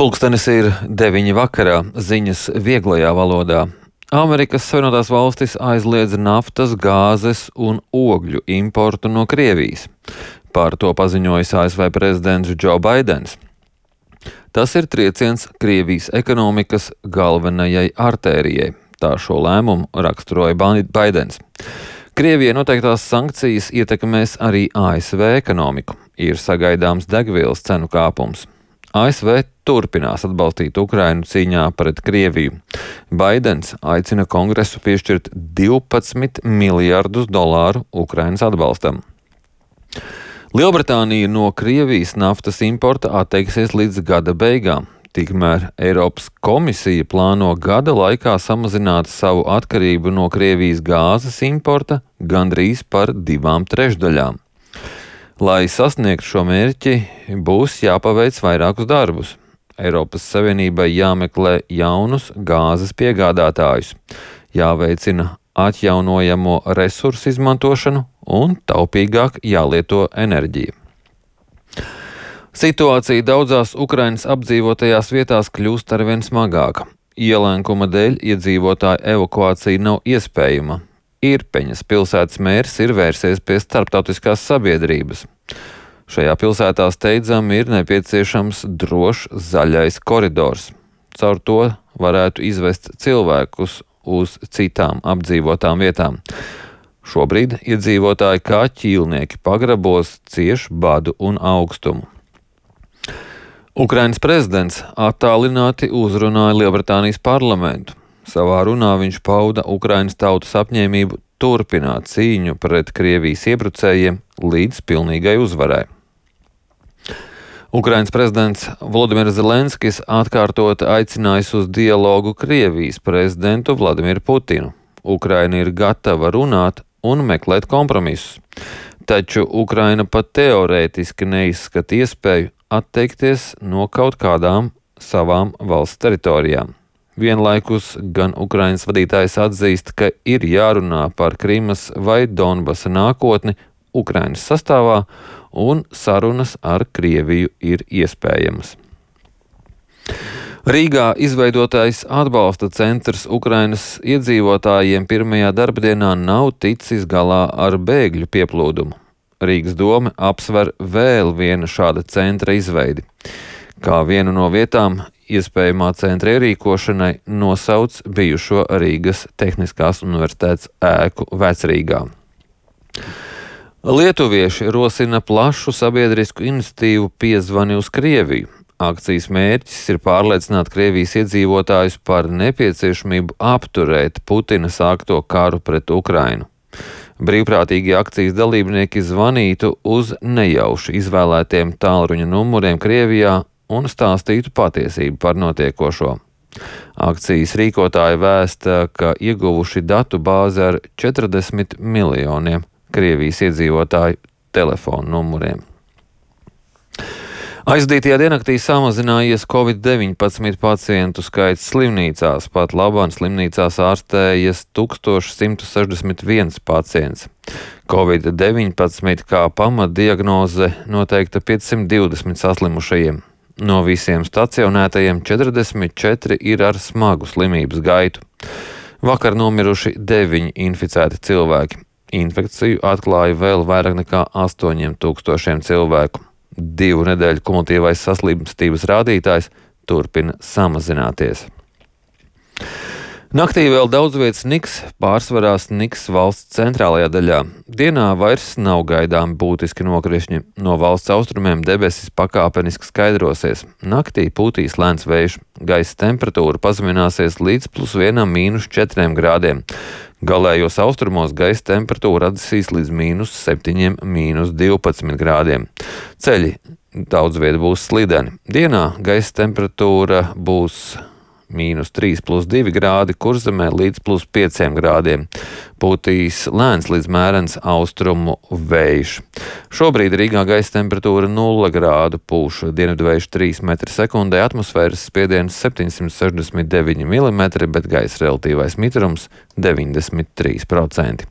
Pulkstenis ir 9 vakarā, ziņas vieglajā valodā. Amerikas Savienotās valstis aizliedz naftas, gāzes un ogļu importu no Krievijas. Par to paziņojis ASV prezidents Joe Baidens. Tas ir trieciens Krievijas ekonomikas galvenajai artērijai. Tā šo lēmumu raksturoja Baidens. Krievijai noteiktās sankcijas ietekmēs arī ASV ekonomiku. Ir sagaidāms degvielas cenu kāpums. ASV turpinās atbalstīt Ukrainu cīņā pret Krieviju. Baidens aicina Kongresu piešķirt $12 miljardus Ukrainas atbalstam. Lielbritānija no Krievijas naftas importa atteiksies līdz gada beigām. Tikmēr Eiropas komisija plāno gada laikā samazināt savu atkarību no Krievijas gāzes importa gandrīz par 2/3. Lai sasniegtu šo mērķi, būs jāpaveic vairākus darbus. Eiropas Savienībai jāmeklē jaunus gāzes piegādātājus, jāveicina atjaunojamo resursu izmantošanu un taupīgāk jālieto enerģija. Situācija daudzās Ukrainas apdzīvotajās vietās kļūst arvien smagāka. Ielēkuma dēļ iedzīvotāju evakuācija nav iespējama. Irpeņas pilsētas mērs ir vērsies pie starptautiskās sabiedrības. Šajā pilsētā steidzami ir nepieciešams drošs zaļais koridors. Caur to varētu izvest cilvēkus uz citām apdzīvotām vietām. Šobrīd iedzīvotāji kā ķīlnieki pagrabos cieš badu un augstumu. Ukrainas prezidents attālināti uzrunāja Lielbritānijas parlamentu. Savā runā viņš pauda Ukrainas tautas apņēmību turpināt cīņu pret Krievijas iebrucējiem līdz pilnīgai uzvarai. Ukrainas prezidents Volodimirs Zelenskis atkārtot aicinājis uz dialogu Krievijas prezidentu Vladimiru Putinu. Ukraina ir gatava runāt un meklēt kompromisus, taču Ukraina pat teorētiski neizskata iespēju atteikties no kaut kādām savām valsts teritorijām. Vienlaikus gan Ukrainas vadītājs atzīst, ka ir jārunā par Krimas vai Donbasa nākotni Ukrainas sastāvā, un sarunas ar Krieviju ir iespējamas. Rīgā izveidotais atbalsta centrs Ukrainas iedzīvotājiem pirmajā darbdienā nav ticis galā ar bēgļu pieplūdumu. Rīgas dome apsver vēl viena šāda centra izveidi. Kā vienu no vietām iespējamā centra ierīkošanai nosauc bijušo Rīgas Tehniskās universitātes ēku Vecrīgā. Lietuvieši rosina plašu sabiedrisku iniciatīvu Piezvani uz Krieviju. Akcijas mērķis ir pārliecināt Krievijas iedzīvotājus par nepieciešamību apturēt Putina sākto karu pret Ukrainu. Brīvprātīgie akcijas dalībnieki zvanītu uz nejauši izvēlētiem tālruņa numuriem Krievijā un stāstītu patiesību par notiekošo. Akcijas rīkotāji vēsta, ka ieguvuši datu bāzi ar 40 miljoniem Krievijas iedzīvotāju telefonu numuriem. Aizdītajā diennaktī samazinājies Covid-19 pacientu skaits slimnīcās, pat labāk slimnīcās ārstējas 1161 pacients. Covid-19 kā pamatdiagnoze noteikta 520 saslimušajiem. No visiem stacionētajiem 44 ir ar smagu slimības gaitu. Vakar nomiruši 9 inficēti cilvēki. Infekciju atklāja vēl vairāk nekā 8000 cilvēku. 2 nedēļu kumulatīvais saslimstības rādītājs turpina samazināties. Naktī vēl daudz vietas sniks, pārsvarā sniks valsts centrālajā daļā. Dienā vairs nav gaidām būtiski nokrišņi. No valsts austrumiem debesis pakāpeniski skaidrosies. Naktī pūtīs lēns vējš. Gaisa temperatūra pazemināsies līdz +1 - -4 grādiem. Galējos austrumos gaisa temperatūra atdzisīs līdz -7 - -12 grādiem. Ceļi daudz viet būs slideni. Dienā gaisa temperatūra būs -3 + 2 grādi, Kurzemē līdz +5 grādiem. Pūtīs lēns līdz mērens austrumu vējš. Šobrīd Rīgā gaisa temperatūra 0 grādu, pūš dienvidvējš 3 m/sekundē, atmosfēras spiediens 769 mm, bet gaisa relatīvais mitrums 93%.